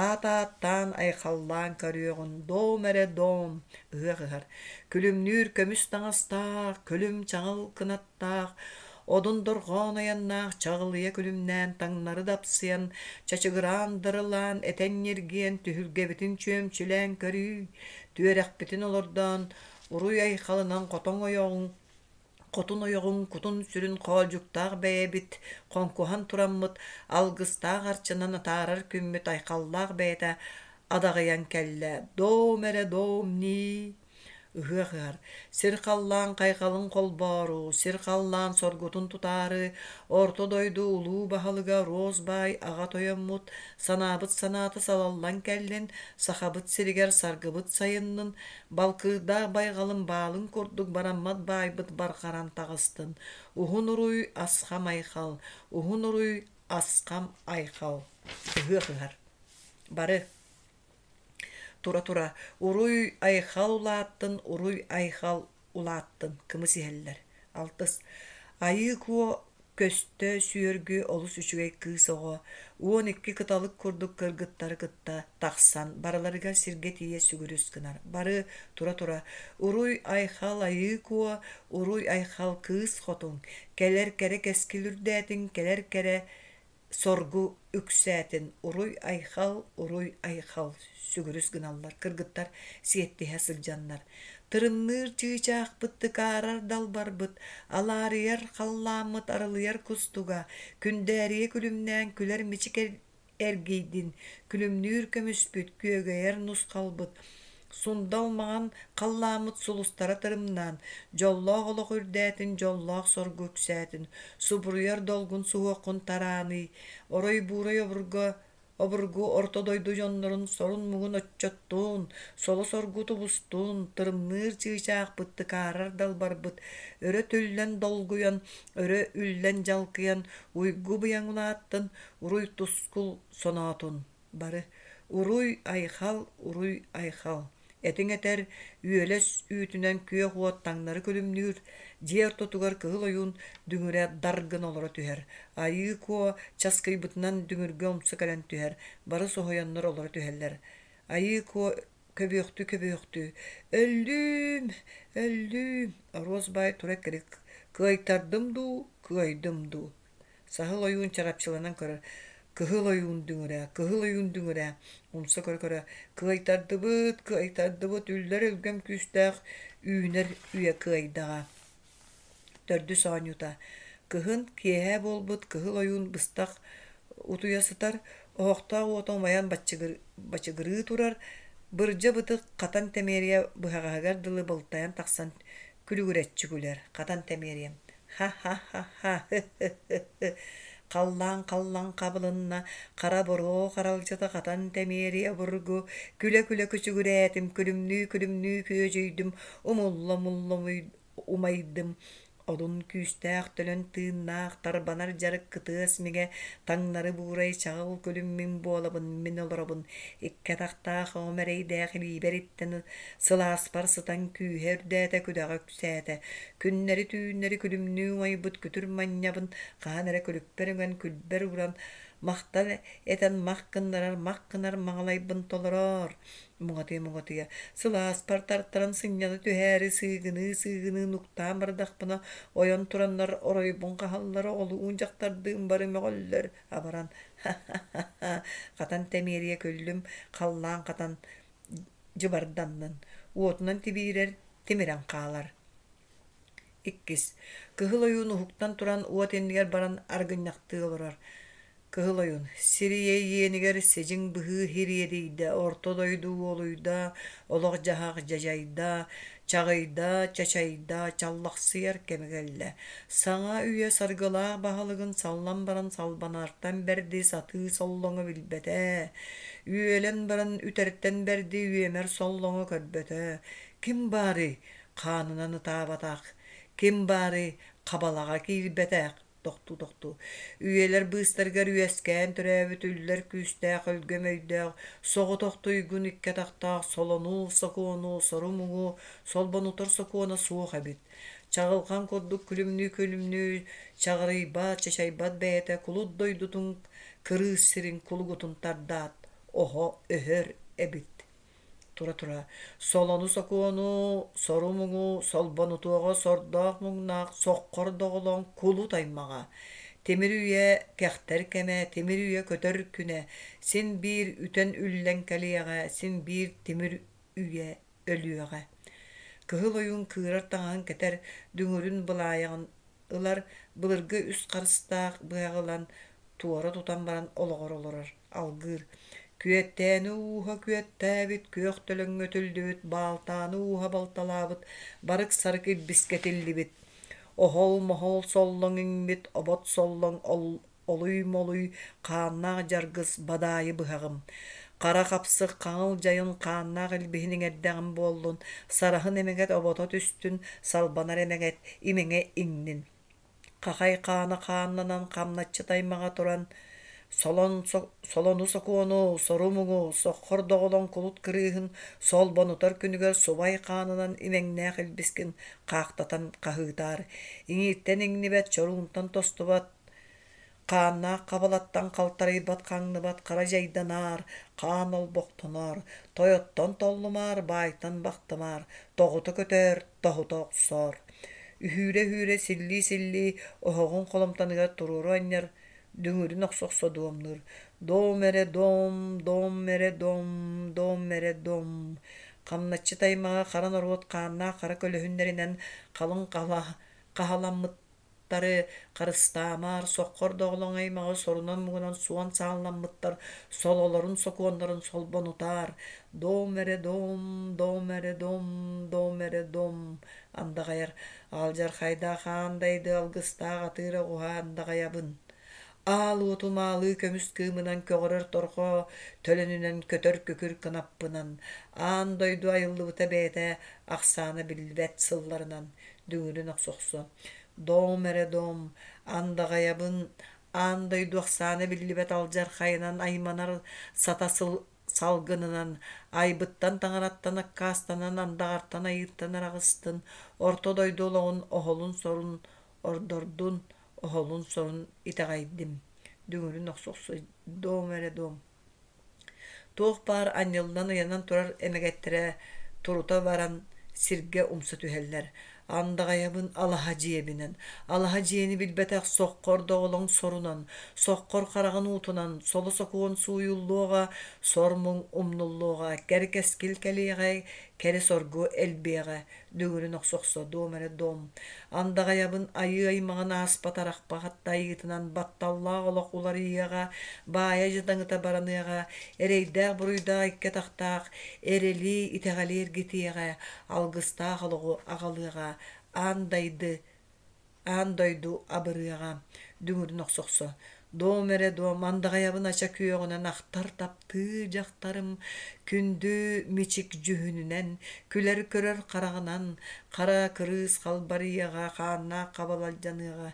аат ааттаан айхаллаан көрүөҕүн дом эрэ дом ыһыах ыһар. Күлүмнүүр көмүс таҥастаах, күлүм чаҕыл кынат таах, одун дорҕоон айаннаах чаҕылыйа күлүмнээн таҥнары дапсыйан, чачыгыраан дарылаан, этэн ньиргийэн түһүлгэбитин чүөмчүлээн көрүү, түөрэхпитин олордоон, уруй айхалынан хотоҥ ойоҕуҥ хотун ойоҕуҥ кутун-сүрүн хоолдьуктаах бэйэбит хоҥкуһан тураммыт алгыстаах арчынан атаарар күммүт айхаллаах бэйэтэ адаҕыйан кэллэ дом эрэ дом нии. Ыһыах ыһар, сир-халлаан хайҕалын холбоору, сир-халлаан соргутун тутаары, Орто дойду улуу баһылыга Роз баай аҕа тойоммут, санаабыт санаата салаллан кэллин, Сахабыт сиригэр саргыбыт сайыннын, балкыырдаах байҕалым баалын курдук бараммат баайбыт барҕаран таҕыстын, уһун уруй асхам айхал, уһун уруй асхам айхал. Ыһыах ыһар. Бары Тура-тура «Уруй-айхал улааттын, уруй-айхал улааттын» кымыс иһэллэр. Алтыс Айыы Куо көстө сүөргү олус үчүгэй кыыс оҕо, 12 кыталык курдук кыргыттары кытта тахсан барыларыгар сиргэ тиийэ сүгүрүс гынар. Бары тура-тура «Уруй-айхал Айыы Куо, уруй-айхал кыыс хотун, кэлэр кэрэ кэскил үрдээтин, кэлэр кэрэ Соргу үксээтин уруй-айхал, уруй-айхал сүгүрүс гыналлар кыргыттар сиэттиһэ сылдьаннар. Тырымныыр чыычаахпыт тыкаарар далбарбыт, алаарыйар халлааммыт арылыйар кустуга, күндээрийэ күлүмнээн күлэр мичик эргийдин, күлүмнүүр көмүспүт, күөгэйэр нусхалбыт, Сундал маҥан халлааммыт сулустара тырымнаан, дьоллоох олох үрдээтин, дьоллоох соргу үксээтин, субуруйар долгун суһуоххун тарааный, орой-буурай обурга обургу орто дойду дьоннорун сорун-муҥун оччоттун, соло-соргу тубустун, тырымныыр чыычаахпыт тыкаарар далбарбыт, өрө түллэн долгуйан, өрө үллэн дьалкыйан, уйгу-быйаҥ улааттын, уруй-тускул соноотун. Бары «Уруй-айхал, уруй-айхал» этиҥ этэр, үөлэс үүтүнэн күөх уот таҥнары күлүмнүүр, дьиэ ортотугар кыһыл ойуун дүҥүрэ дар гына олоро түһэр, Айыы Куо часкыйбытынан дүҥүргэ умса кэлэн түһэр, бары соһуйаннар олоро түһэллэр. Айыы Куо көбүөхтүү-көбүөхтүү «Өллүүм, өллүүм» Оруос баай тура эккирик «Кыайтардым дуу, кыайдым дуу» Саһыл ойуун чарапчыланан көрөр: «Кыһыл ойуун дүҥүрэ, кыһыл ойуун дүҥүрэ» умса көрө-көрө «Кыайтардыбыт, кыайтардыбыт, үллэр өлгөм күүстээх үүнэр үйэ кыайдаҕа» Төрдүс оонньуута Кыһын киэһэ буолбут кыһыл ойуун быстах утуйа сытар, оһохтоох уота умайан бачыгырыы турар, бырдьа бытык хатан тэмиэрийэ быһаҕаһыгар дылы былтайан тахсан күлүгүрэччи күлэр, хатан тэмиэрийэм Ха-ха-ха-ха, һы-һы-һы-һы, халлаан халлан хабылынна, хара буруо харалдьыта хатан тэмиэрийэ обургу, күлэ-күлэ күчүгүрээтим, күлүмнүү-күлүмнүү күөдьүйдүм, умулла-умулла умайдым, Одун күүстээх төлөн тыыннаах тарбанар дьарык кытыас миҥэ таҥнары буурай чаҕыл күлүм мин буолабын мин олоробун икки атахтаах оҕом эрэйдээх илиибэр иттэн сылааспар сытан күүһэ үрдээтэ күдэҕэ үксээтэ Күннэри-түүннэри күлүмнүү умайбыт күтүр манньабын хаһан эрэ күлүкпэр үҥэн күлбэр ууран махтан этэн мах гыннарар мах гынар маҥалайбын толороор муҥатыйа-муҥатыйа сылааспар тартаран сынньана түһээри сыыгыныы-сыыгыныы нуктаан бардахпына ойон тураннар оройбун хаһаллар оҕолуун дьахтардыын бары мөҕөллөр абаран ха-ха-ха хатан тэмиэрийэ күллүм халлаан хатан дьыбарданнын уотунан тибиирэр тимирэн хаалар. Иккис Кыһыл ойуун уһуктан туран уот иннигэр баран аргынньахтыы олорор. Кыһыл ойуун сир ийэ иэнигэр сидьиҥ быһыы ириэрийдэ, орто дойду уолуйда, олох-дьаһах дьадьайда, чаҕыйда, чачайда, чаллахсыйар кэмэ кэллэ. Саҥа үйэ саргылаах баһылыгын саллан баран салбанартан бэрди сатыы соллоҥо билбэтэ, үөлэн баран үтэртэн бэрди үөмэр соллоҥо көрбөтө. Ким баарый, хаанынан ытаабатах, ким баарый, хабалаҕа киирбэтэх тохтуу-тохтуу үйэлэр быыстарыгар үөскээн төрөөбүт үллэр күүстээх өлгөм өйдөөх соҕотох туйгун икки атахтаах солонуу сокуону сору-муҥу солбонутар сокуона суох эбит чаҕылхан курдук күлүмнүү-күлүмнүү чаҕырыйбат чачайбат бэйэтэ кулут дойдутун кырыыс сирин кулугутун тардаат оһо өһөр эбит Тура-тура солону-сокуону, сору-муҥу, солбонутуоҕа сордоох-муҥнаах соххор доҕолоҥ кулут аймаҕа, тимир үйэ кэхтэр кэмэ, тимир үйэ көтөр күнэ, син биир үтэн үллэн кэлиэҕэ, син биир тимир үйэ өлүөҕэ. Кыһыл ойуун кыырар таҥаһын кэтэр, дүҥүрүн былаайаҕын ылар, былыргы үс харыстаах быһаҕы ылан туора тутан баран олоҕор олорор, алгыыр. Күөттээни ууһа күөттээбит, күөх төлөҥҥө үтүллүбүт, баалтааны ууһа балталаабыт, барык-сарык илбискэ этиллибит. Оһол-моһол соллоҥ иҥмит, обот соллоҥ олуй-молуй хааннаах дьаргыс бадаайы быһаҕым. Хара хапсых хаҥыл дьайын хааннаах илбиһин иҥэрдэҕим буоллун, сараһын эмэгэт обото түстүн, салбанар эмэгэт имэҥэ иҥнин. Хахай хаана хааннанан хамначчыт аймаҕа туран, солон солону сокуону, сору-муҥу, соххор доҕолоҥ кулут кырыыһын солбонутар күнүгэр субай хаанынан имэҥнээх илбискин хаахтатан хаһыытаар, иҥииртэн иҥнибэт, чоруунтан тостубат, хааннаах хабалаттан халтарыйбат хаҥныбат хара дьайданаар, хаан олбохтоноор, тойоттон толлумаар, баайтан бахтымаар, тоҕута көтөөр, тоһута охсоор. Үһүүрэ-үһүүрэ силлии-силлии оһоҕун холумтаныгар туруору анньар, дүҥүрүн охсо-охсо дуомнуур. Дом эрэ дом, дом эрэ дом, дом эрэ дом. Хамначчыт аймаҕа хара норуот хааннаах хара көлөһүннэринэн халыҥ хаһаламмыт тары харыстаамаар, соххор доҕолоҥ аймаҕы сорунан-муҥунан суон саалламмыттар сололорун сокуоннарын солбонутаар, дом эрэ дом, дом эрэ дом, дом эрэ дом андаҕайар алдьархайдаах аан дайды алгыстаах атыыр оҕуһа андаҕайабын. Аал уотум аалыы көмүс кыымынан көҕөрөр торҕо төлөнүнэн көтөр күкүр кынаппынан, аан дойду айыллыбыта бэйэтэ ахсаана биллибэт сылларынан дүҥүрүн охсохсо Дом эрэ дом, андаҕайабын аан дойду ахсаана биллибэт алдьархайынан айманар сата сыл салгынынан, айбыттан таҥараттан аккаастанан андаҕартан айыыттан араҕыстын, орто дойду олоҕун оһолун-сорун ордордун, оһолун-сорун итэҕэйдим. Дүҥүрүн охсохсо дом эрэ дом. Туох баар анньыллан ыйанан турар эмэгэттэрэ турута баран сиргэ умса түһэллэр. Андаҕайабын алаһа дьиэбинэн, алаһа дьиэни билбэтэх соххор доҕолоҥ сорунан, соххор хараҕын уутунан, соло-сокуон сууйуллуоҕа, сор-муҥ умнуллуоҕа, кэр кэскил кэлиэҕэ, кэрэ соргу элбиэҕэ, дүҥүрүн охсохсо дом эрэ дом. Андаҕайабын айыы аймаҕын ааспат арахпат айыытынан батталлаах олох уларыйыаҕа, баайа дьадаҥыта бараныаҕа, эрэйдээх-буруйдаах икки атахтаах эрэли, итэҕэли эргитиэҕэ, алгыстаах олоҕу аҕалыаҕа, аан дайды аан дойду абырыаҕа, дүҥүрүн охсохсо Дом эрэ дом, андаҕайабын ача күөҕүнэн ахтар таптыы дьахтарым, күндү мичик дьүһүнүнэн, күлэр-көрөр хараҕынан, хара кырыыс халбарыйыаҕа, хааннаах хабалалдьаныаҕа,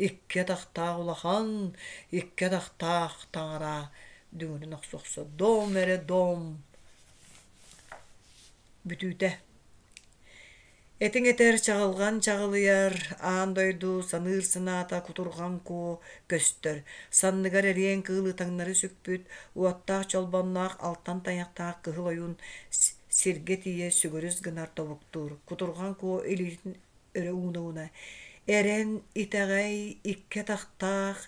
икки атахтаах улахан, икки атахтаах таҥара дүҥүрүн охсохсо дом эрэ дом бүтүүтэ Этиҥ этэр чаҕылҕан чаҕылыйар, аан дойду саныыр санаата кутурҕан куо көстөр, санныгар эриэн кыылы таҥнары сүкпүт, уоттаах чолбонноох алтан тайахтаах кыһыл ойуун сиргэ тиийэ сүгүрүс гынар тобуктуур, кутурҕан куо илиитин өрө ууна-ууна «Эрэн, итэҕэй, икки атахтаах,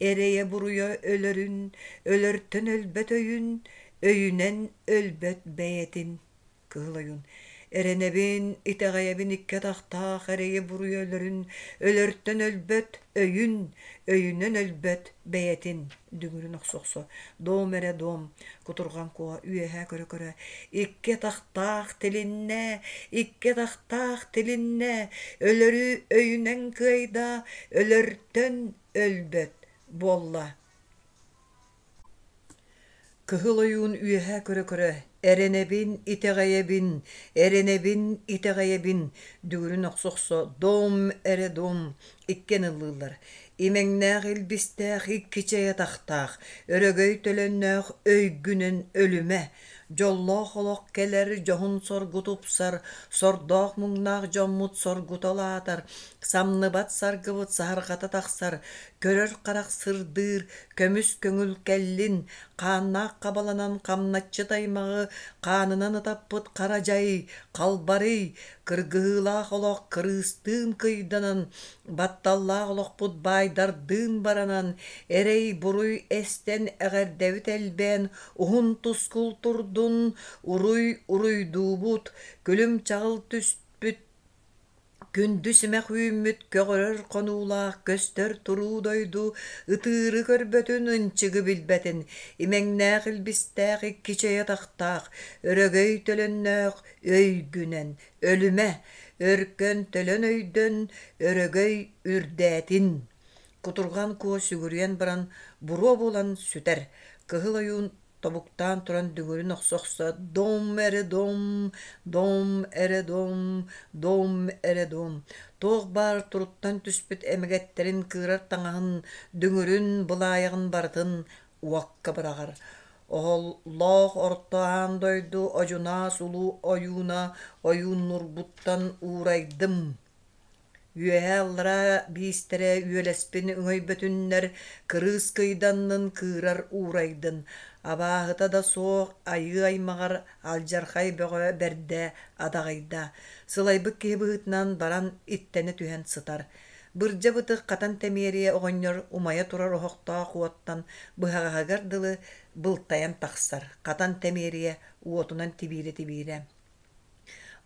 эрэйэ-буруйа өлөрүн, өлөртөн өлбөт өйүн, өйүнэн өлбөт бэйэтин» Кыһыл ойуун «Эрэнэбин, итэҕэйэбин икки атахтаах эрэйи-буруйу өлөрүн, өлөртөн өлбөт өйүн, өйүнэн өлбөт бэйэтин» дүҥүрүн охсо-охсо «Дом эрэ дом» кутурҕан куо үөһэ көрө-көрө «Икки атахтаах тилиннэ, икки атахтаах тилиннэ, өлөрү өйүнэн кыайда, өлөртөн өлбөт буолла» Кыһыл ойуун үөһэ көрө-көрө «Эрэнэбин, итэҕэйэбин, эрэнэбин, итэҕэйэбин» дүҥүрүн охсо-охсо «Дом эрэ дом» иккиэн ыллыыллар. Имэҥнээх илбистээх икки чэй атахтаах, өрөгөй төлөннөөх өйгүнэн өлүмэ, дьоллоох олох кэлэр, дьоһун соргу тупсар, сордоох-муҥнаах дьоммут соргута улаатар, самныбат саргыбыт саһарҕата тахсар, көрөр харах сырдыыр, көмүс көҥүл кэллин, хааннаах хабаланан хамначчыт аймаҕы хаанынан ытаппыт хара дьай, халбарый, кыргыһыылаах олох кырыыстыын кыйданан, батталлаах олохпут баайдардыын баранан, эрэй-буруй эстэн эҕэрдэбит элбээн, уһун тускул турдун, уруй уруйдуубут, күлүм-чаҕыл түспүт. Күндү симэх үүммүт көҕөрөр хонуулаах көстөр туруу дойду ытыыры көрбөтүн, ынчыгы билбэтин, имэҥнээх илбистээх икки чэй атахтаах, өрөгөй төлөннөөх өйгүнэн өлүмэ, өркөн төлөн өйдөн, өрөгөй үрдээтин. Кутурҕан Куо сүгүрүйэн баран буруо буолан сүтэр, Кыһыл Ойуун тобуктаан туран дүҥүрүн охсо-охсо «Дом эрэ дом, дом эрэ дом, дом эрэ дом» туох баар туруттан түспүт эмэгэттэрин кыырар таҥаһын, дүҥүрүн, былаайаҕын барытын уокка быраҕар. Оһоллоох орто аан дойду одьунаас улуу ойууна ойууннурбуттан уурайдым Үөһээ-аллараа биистэрэ үөлэспин өҥөйбөтүннэр, кырыыс кыйданнын кыырар уурайдын, абааһыта да суох айыы аймаҕар алдьархай бөҕө бэрдэ адаҕыйда, сылайбыт киһи быһыытынан баран иттэнэ түһэн сытар. Бырдьа бытык хатан тэмиэрийэ оҕонньор умайа турар оһохтоох уоттан быһаҕаһыгар дылы былтайан тахсар, хатан тэмиэрийэ уотунан тибиирэ-тибиирэ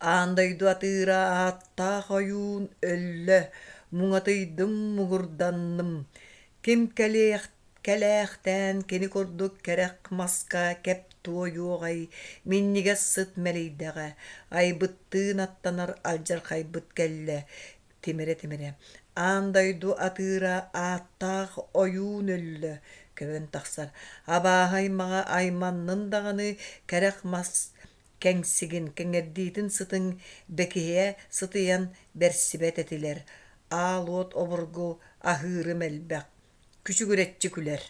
Аан дойду атыыра ааттаах ойуун өллө, муҥатыйдым, муҥурданным. Ким кэлиэх кэлээхтээн кини курдук кэрэх маска кэп туойуоҕай, минньигэс сыт мэлийдэҕэ, айбыттыын аттанар алдьархайбыт кэллэ, тимирэ-тимирэ. Аан дойду атыыра ааттаах ойуун өллө, көбөн тахсар. Абааһы аймаҕа айманнын даҕаны кэрэх мас кэҥсигин, кэҥэрдиитин сытыҥ бэкиһийэ сытыйан бэрсибэт этилэр, аал уот обургу аһыырым элбэх, күчүгүрэччи күлэр.